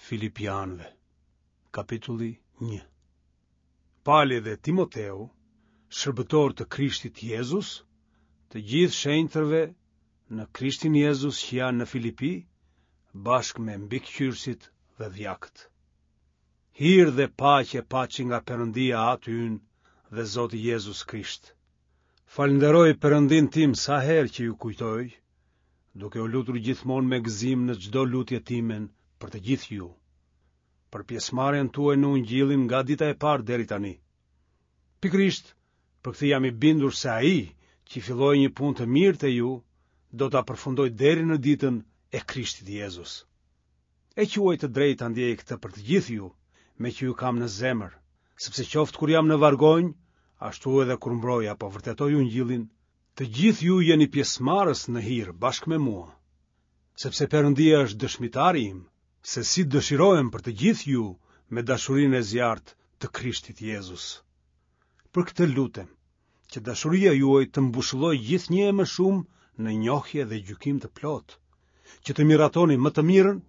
Filipianëve, kapitulli 1. Pali dhe Timoteu, shërbëtorë të Krishtit Jezus, të gjithë shenjtërve në Krishtin Jezus që janë në Filipi, bashkë me mbikëqyrësit dhe dhjakët. Hir dhe paqe paçi nga Perëndia Ati ynë dhe Zoti Jezus Krisht. Falënderoj Perëndinë tim sa herë që ju kujtoj, duke u lutur gjithmonë me gëzim në çdo lutje timen për të gjithë ju, për pjesëmarrjen tuaj në ungjillin nga dita e parë deri tani. Pikërisht për këtë jam i bindur se ai që filloi një punë të mirë te ju, do ta përfundojë deri në ditën e Krishtit Jezus. E quaj të drejtë ta ndiej këtë për të gjithë ju, meqë ju kam në zemër, sepse qoftë kur jam në vargonj, ashtu edhe kur mbroj apo vërtetoj ungjillin, Të gjithë ju jeni pjesëmarrës në hir bashkë me mua, sepse Perëndia është dëshmitari im, se si dëshirohem për të gjithë ju me dashurinë e zjarrtë të Krishtit Jezus. Për këtë lutem, që dashuria juaj të mbushëllojë gjithnjë e më shumë në njohje dhe gjykim të plotë, që të miratoni më të mirën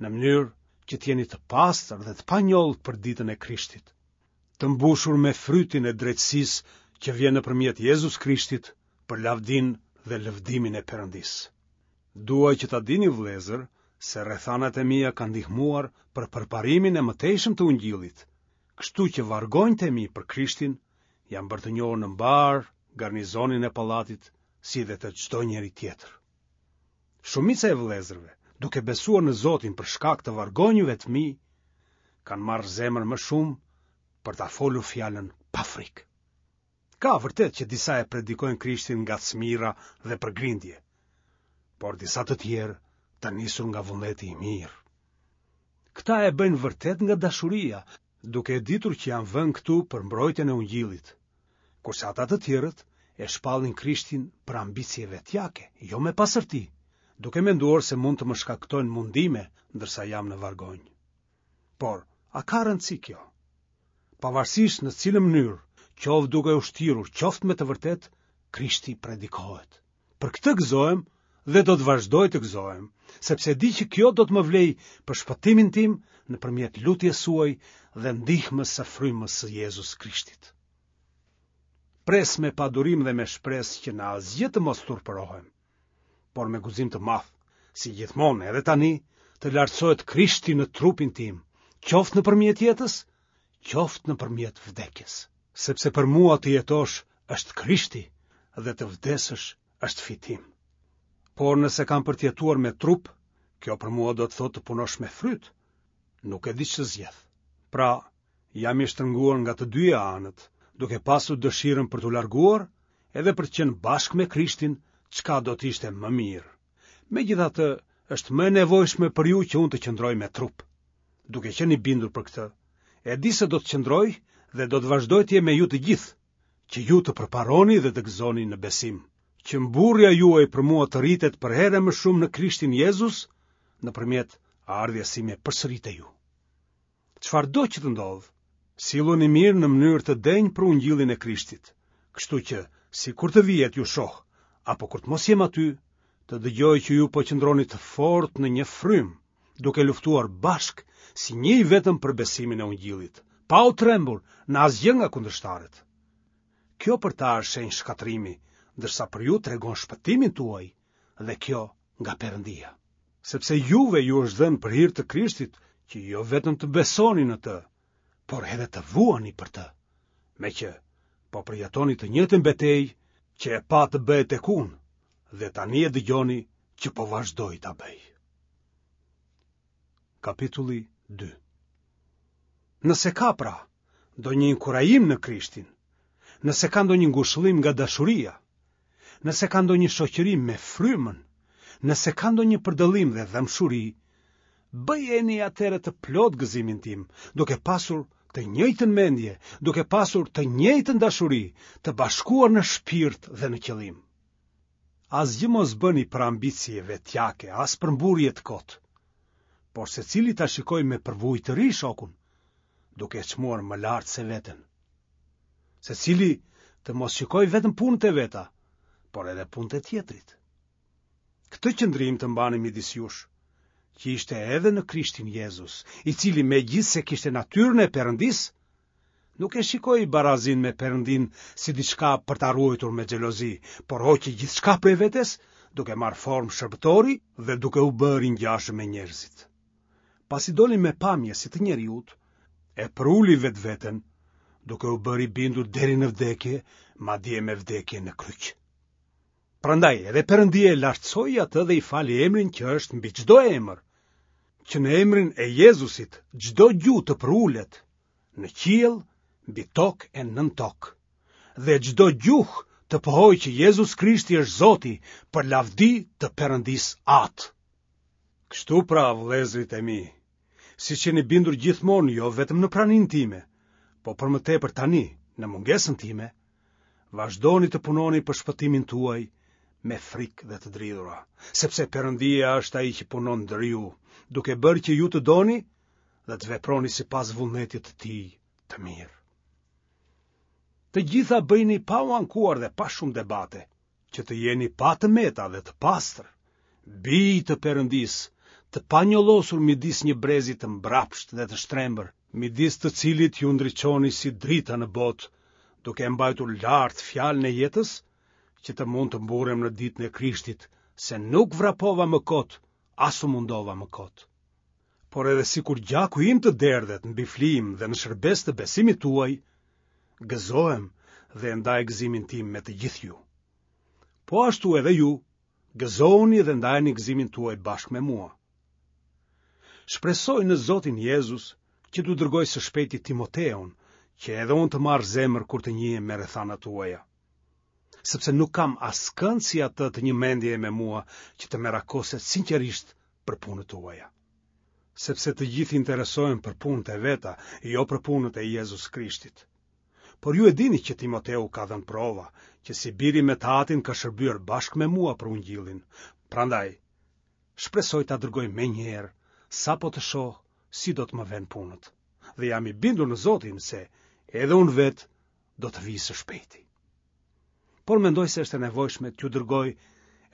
në mënyrë që të jeni të pastër dhe të panjollë për ditën e Krishtit. të mbushur me frytin e drejtësisë që vjen nëpërmjet Jezus Krishtit për lavdinë dhe lëvdimin e Perëndisë. Dua që ta dini vëllezër se rrethanat e mia kanë ndihmuar për përparimin e mëtejshëm të ungjillit, kështu që vargonjtë e mi për Krishtin janë bërë të njohur në mbarë garnizonin e pallatit si dhe te çdo njeri tjetër. Shumica e vëllezërve, duke besuar në Zotin për shkak të vargonjve të mi, kanë marrë zemër më shumë për ta folur fjalën pa frikë. Ka vërtet që disa e predikojnë Krishtin nga smirra dhe për grindje, por disa të tjerë të nisur nga vullneti i mirë. Këta e bëjnë vërtet nga dashuria, duke e ditur që jam vënë këtu për mbrojtjen e ungjillit, kurse ata të tjerët e shpallin Krishtin për ambicie vetjake, jo me pastërti, duke menduar se mund të më shkaktojnë mundime ndërsa jam në vargonj. Por, a ka rëndësi kjo? Pavarësisht në cilën mënyrë, qoftë duke u shtirur, qoftë me të vërtetë, Krishti predikohet. Për këtë gëzohem dhe do të vazhdoj të gëzohem, sepse e di që kjo do të më vlejë për shpëtimin tim nëpërmjet lutjes suaj dhe ndihmës së frymës së Jezus Krishtit. Pres me padurim dhe me shpresë që në asgjë të mos turpërohem, por me guxim të madh, si gjithmonë edhe tani, të lartësohet Krishti në trupin tim, qoftë nëpërmjet jetës, qoftë nëpërmjet vdekjes. Sepse për mua të jetosh është Krishti dhe të vdesësh është fitim. Por nëse kam për të jetuar me trup, kjo për mua do të thotë të punosh me fryt. Nuk e di ç'të zgjedh. Pra, jam i shtrënguar nga të dyja anët, duke pasur dëshirën për t'u larguar, edhe për të qenë bashkë me Krishtin, çka do të ishte më mirë. Megjithatë, është më e nevojshme për ju që unë të qëndroj me trup. Duke qenë i bindur për këtë, e di se do të qëndroj dhe do të vazhdoj të jem me ju të gjithë, që ju të përparoni dhe të gëzoni në besim, që mburrja juaj për mua të rritet përherë e më shumë në Krishtin Jezus, nëpërmjet ardhjes sime përsëri te ju. Çfarëdo që të ndodhë, silluni mirë në mënyrë të denjë për ungjillin e Krishtit, kështu që sikur të vij e t'ju shoh, apo kur të mos jem aty, të dëgjoj që ju po qëndroni të fortë në një frymë, duke luftuar bashkë si një i vetëm për besimin e ungjillit, pa u trembur në asgjë nga kundërshtarët. Kjo për ta është shenjë shkatërrimi, ndërsa për ju tregon shpëtimin tuaj dhe kjo nga Perëndia. Sepse juve ju është dhënë për hir të Krishtit që jo vetëm të besoni në të, por edhe të vuani për të. Meqë po përjetoni të njëjtën betejë që e patë të bëhet tek unë dhe tani e dëgjoni që po vazhdoj ta bëj. Kapitulli 2 Nëse ka pra, ndonjë inkurajim në Krishtin, nëse ka ndonjë ngushëllim nga dashuria, nëse ka ndonjë shoqërim me frymën, nëse ka ndonjë përdëllim dhe dhembshuri, bëjeni atëherë të plotë gëzimin tim, duke pasur të njëjtën mendje, duke pasur të njëjtën dashuri, të bashkuar në shpirt dhe në qëllim. Asgjë mos bëni për ambicie vetjake, as për mburrje të kotë, por secili ta shikojë me përvojë të ri shokun, duke e çmuar më lart se veten. Secili të mos shikojë vetëm punët e veta, por edhe punët e tjetrit. Këtë qëndrim të mbani midis jush, që ishte edhe në Krishtin Jezus, i cili megjithëse kishte natyrën e Perëndisë, nuk e shikoi barazinë me Perëndinë si diçka për ta ruajtur me xhelozi, por hoqi gjithçka prej vetes, duke marrë formë shërbëtori dhe duke u bërë i ngjashëm me njerëzit. Pasi doli me pamje si të njeriut, e përuli vetveten, duke u bërë i bindur deri në vdekje, madje me vdekje në kryq. Prandaj edhe Perëndia e lartësoi atë dhe i fali emrin që është mbi çdo emër, që në emrin e Jezusit çdo gju të përulet në qiell, mbi tokë e nën tokë. Dhe çdo gjuhë të pohojë që Jezus Krishti është Zoti për lavdi të Perëndisë Atë. Kështu pra, vëllezërit e mi, siç jeni bindur gjithmonë jo vetëm në praninë time, po për më tepër tani, në mungesën time, vazhdoni të punoni për shpëtimin tuaj me frikë dhe të dridhura, sepse Perëndia është ai që punon ndër ju, duke bërë që ju të doni dhe të veproni sipas vullnetit të tij të mirë. Të gjitha bëjini pa u ankuar dhe pa shumë debate, që të jeni pa të meta dhe të pastër, bij të Perëndisë, të panjollosur midis një brezi të mbrapshtë dhe të shtrembër, midis të cilit ju ndriçoni si drita në botë, duke e mbajtur lart fjalën e jetës, që të mund të mburrem në ditën e Krishtit, se nuk vrapova më kot, as u mundova më kot. Por edhe sikur gjaku im të derdhet mbi flijim dhe në shërbesë të besimit tuaj, gëzohem dhe e ndaj gëzimin tim me të gjithë ju. Po ashtu edhe ju, gëzohuni dhe ndajeni gëzimin tuaj bashkë me mua. Shpresoj në Zotin Jezus që t'ju dërgoj së shpejti Timoteun, që edhe unë të marr zemër kur të njihem me rrethanat tuaja. Sepse nuk kam askënd si atë të një mendjeje me mua që të merakoset sinqerisht për punët tuaja. Sepse të gjithë interesohen për punët e veta, jo për punët e Jezus Krishtit. Por ju e dini që Timoteu ka dhënë prova, që si biri me të atin ka shërbyer bashkë me mua për ungjillin. Prandaj, shpresoj ta dërgoj menjëherë, sapo të shoh si do të më venë punët. Dhe jam i bindur në Zotin se edhe unë vetë do të vij së shpejti. Por mendoj se është e nevojshme t'ju dërgoj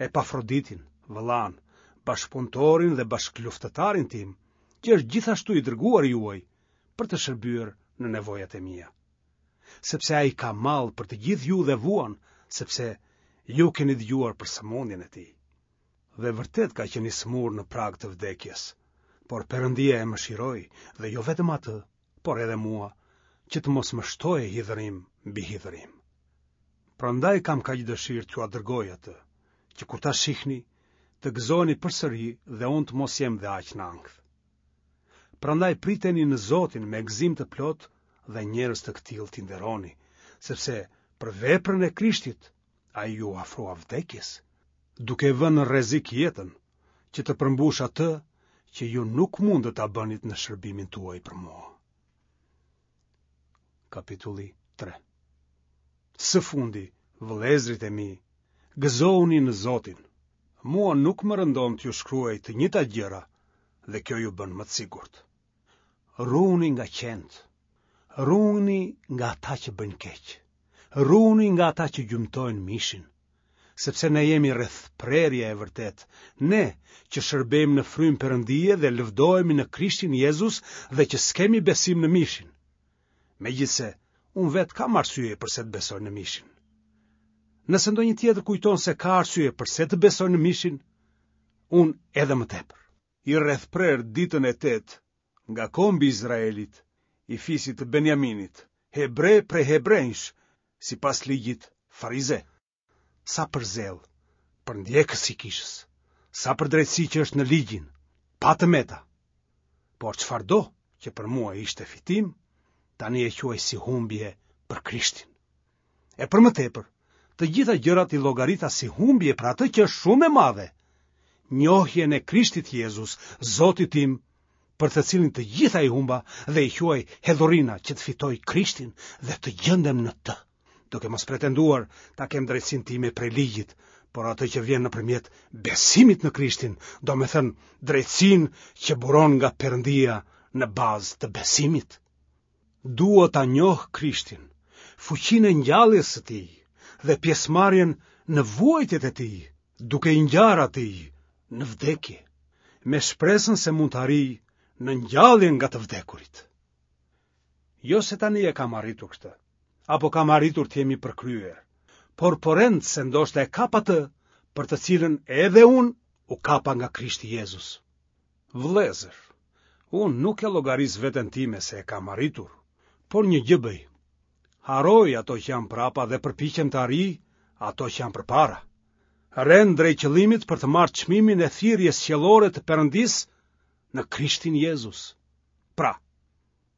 Epafroditin, vëllanë, bashkëpunëtorin dhe bashkëluftëtarin tim, që është gjithashtu i dërguar juaj për të shërbyer në nevojat e mia. Sepse ai ka mall për të gjithë ju dhe vuan, sepse ju keni dëgjuar për sëmundjen e tij. Dhe vërtet ka qenë i sëmurë në prag të vdekjes, por Perëndia e mëshiroi dhe jo vetëm atë, por edhe mua, që të mos më shtohej hidhërim mbi hidhërim. Prandaj kam kaq dëshirë t'jua dërgoj atë, që kur ta shihni, të gëzoheni përsëri dhe unë të mos jem dhe aq në ankth. Prandaj priteni në Zotin me gëzim të plotë dhe njerëz të këtillë t'i nderoni, sepse për veprën e Krishtit ai iu afrua vdekjes, duke vënë në rrezik jetën, që të përmbushë atë që ju nuk mundët ta bënit në shërbimin tuaj për mua. Kapitulli 3 Së fundi, vëllezërit e mi, gëzohuni në Zotin. Mua nuk më rëndon t'ju shkruaj të njëjtat gjëra dhe kjo ju bën më të sigurt. Ruhuni nga qentë, ruhuni nga ata që bëjnë keq, ruhuni nga ata që gjymtojnë mishin, sepse ne jemi rrethprerja e vërtetë, ne që shërbejmë në frymë Perëndie dhe lëvdohemi në Krishtin Jezus dhe që s'kemi besim në mishin. Megjithëse, unë vetë kam arsye përse të besoj në mishin. Nëse ndonjë tjetër kujton se ka arsye përse të besojë në mishin, unë edhe më tepër. I rrethprerë ditën e tetë nga kombi i Izraelit, i fisit të Benjaminit, hebre prej hebrenjsh, sipas ligjit farize. Sa për zell, përndjekës i kishës, sa për drejtësi që është në ligjin, pa të meta. Por çfarëdo që për mua ishte fitim, tani e quaj si humbje për Krishtin. E për më tepër, të gjitha gjërat i llogarita si humbje për atë që është shumë e madhe, njohjen e Krishtit Jezus, Zotit tim, për të cilin të gjitha i humba dhe i quaj hedhurina që të fitoj Krishtin dhe të gjendem në të, duke mos pretenduar ta kem drejtësinë time prej ligjit, por atë që vjen nëpërmjet besimit në Krishtin, domethënë drejtësinë që buron nga Perëndia në bazë të besimit. Dua ta njoh Krishtin, fuqinë e ngjalljes së tij dhe pjesëmarrjen në vuajtjet e tij, duke i ngjarë atij në vdekje. me shpresën se mund të arrij në ngjalljen nga të vdekurit. Jo se tani e kam arritur këtë, apo kam arritur të jem i përkryer, por po rend se ndoshta e kap atë për të cilën edhe unë u kapa nga Krishti Jezus. Vëllezër, unë nuk e llogaris veten time se e kam arritur, por një gjë bëj. Harroj ato që janë prapa dhe përpiqem të arrij ato që janë përpara. Rend drejt qëllimit për të marrë çmimin e thirrjes qiellore të Perëndisë në Krishtin Jezus. Pra,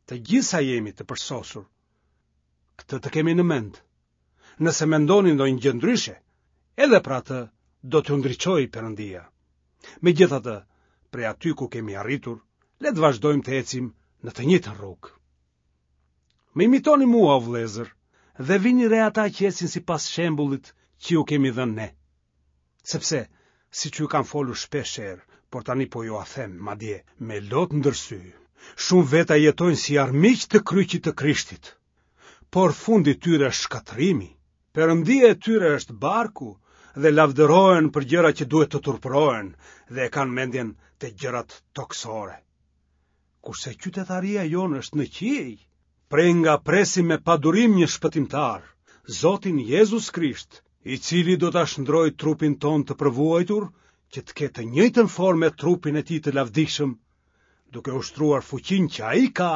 të gjithë sa jemi të përsosur, këtë të kemi në mend. Nëse mendoni ndonjë gjë ndryshe, edhe për atë do t'ju ndriçojë Perëndia. Megjithatë, prej aty ku kemi arritur, le të vazhdojmë të ecim në të njëjtën rrugë. Më imitoni mua, o vëllezër, dhe vini re ata që ecin sipas shembullit që ju kemi dhënë ne. Sepse, siç ju kam folur shpeshherë, por tani po jua them, madje, me lot ndër sy, shumë veta jetojnë si armiq të kryqit të Krishtit. Por fundi i tyre është shkatërrimi. Perëndia e tyre është barku dhe lavdërohen për gjëra që duhet të turpërohen dhe e kanë mendjen te gjërat tokësore. Kurse qytetaria jonë është në qiej, prej nga presim me padurim një shpëtimtar, Zotin Jezus Krisht, i cili do ta shndërrojë trupin tonë të përvuajtur, që të ketë të njëjtën formë me trupin e tij të lavdishëm, duke ushtruar fuqinë që ai ka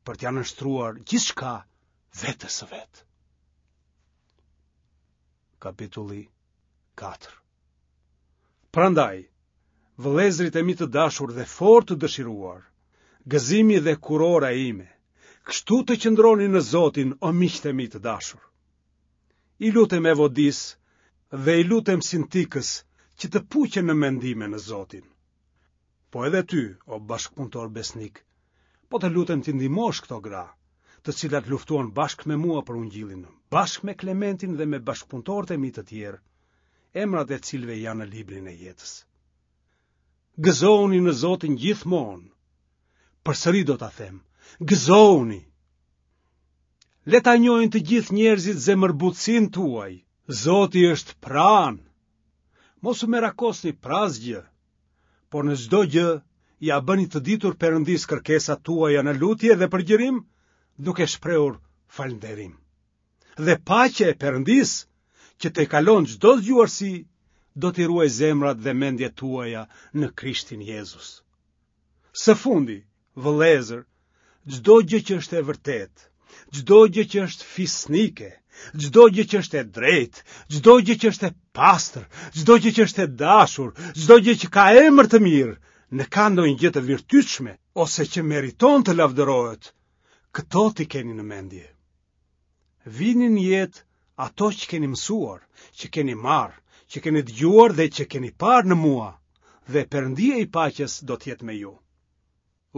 për t'ia nënshtruar gjithçka vetes së vet. Kapitulli 4 Prandaj, vëllezërit e mi të dashur dhe fort të dëshiruar, gëzimi dhe kurora ime, kështu të qëndroni në Zotin o miqtë e mi të dashur. I lutem Evodisë dhe i lutem Sintikës që të puqen në mendime në Zotin. Po edhe ty, o bashkëpunëtor besnik, po të lutem t'i ndihmosh këto gra, të cilat luftuan bashkë me mua për ungjillin, bashkë me Klementin dhe me bashkëpunëtorët e mi të tjerë, emrat e cilëve janë në librin e jetës. Gëzohuni në Zotin gjithmonë. Përsëri do ta them, gëzohuni. Le ta njohin të gjithë njerëzit zemërbutësinë tuaj. Zoti është pranë. Mos u merakosni për asgjë, por në çdo gjë ia bëni të ditur Perëndisë kërkesat tuaja në lutje dhe përgjërim, duke shprehur falënderim. Dhe paqja e Perëndisë, që tejkalon çdo zgjuarsi, do t'i ruajë zemrat dhe mendjet tuaja në Krishtin Jezus. Së fundi, vëllezër, çdo gjë që është e vërtetë, çdo gjë që është fisnike, çdo gjë që është e drejtë, çdo gjë që është e pastër, çdo gjë që është e dashur, çdo gjë që ka emër të mirë, në ka ndonjë gjë të virtytshme ose që meriton të lavdërohet, këto t'i keni në mendje. Vini në jetë ato që keni mësuar, që keni marrë, që keni dëgjuar dhe që keni parë në mua, dhe Perëndia i paqes do të jetë me ju.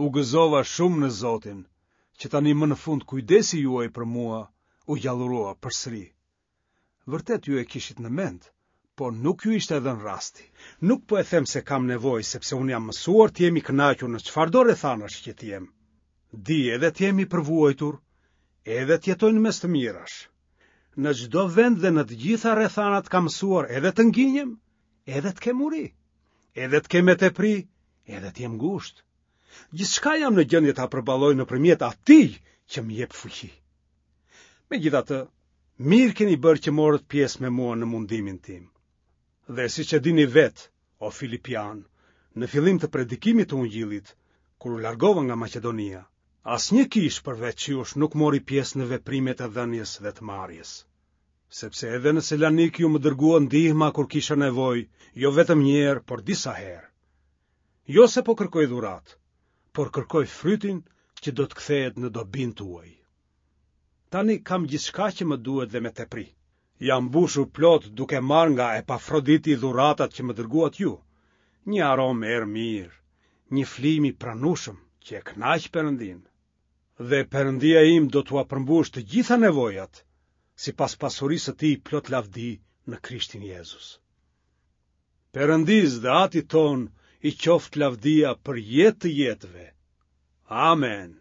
U gëzova shumë në Zotin, që tani më në fund kujdesi juaj për mua u gjallërua përsëri. Vërtet ju e kishit në mend, por nuk ju ishte dhënë rasti. Nuk po e them se kam nevojë, sepse unë jam mësuar të jem i kënaqur në çfarëdo rrethanash që të jem. Di edhe të jem i përvuajtur, edhe të jetoj në mes të mirash. Në çdo vend dhe në të gjitha rrethanat kam mësuar edhe të nginjem, edhe të kem uri, edhe të kem me tepri, edhe të jem ngushtë. Gjithçka jam në gjendje ta përballoj nëpërmjet atij që më jep fuqi. Megjithatë, mirë keni bërë që morët pjesë me mua në mundimin tim. Dhe siç e dini vetë, o Filipianë, në fillim të predikimit të Ungjillit, kur u largova nga Maqedonia, asnjë kishë përveç jush nuk mori pjesë në veprimet e dhënies dhe të marrjes. Sepse edhe në Selanik ju më dërguat ndihma kur kisha nevojë, jo vetëm një herë, por disa herë. Jo se po kërkoj dhuratë, por kërkoj frytin që do të kthehet në dobinë tuaj. Tani kam gjithçka që më duhet dhe me tepri. Jam mbushur plot duke marrë nga Epafroditi dhuratat që më dërguat ju, një aromë erë mirë, një flijim i pranueshëm që e kënaq Perëndinë. Dhe Perëndia im do t'ua përmbushë të gjitha nevojat, sipas pasurisë së tij plot lavdi në Krishtin Jezus. Perëndisë dhe Atit tonë i qoftë lavdia për jetë të jetëve. Amen.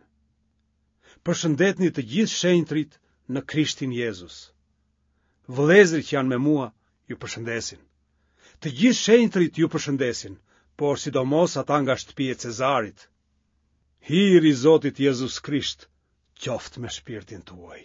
Përshëndetni të gjithë shenjtërit në Krishtin Jezus. Vëllezërit që janë me mua ju përshëndesin. Të gjithë shenjtërit ju përshëndesin, por sidomos ata nga shtëpia e Cezarit. Hiri i Zotit Jezus Krisht qoftë me shpirtin tuaj.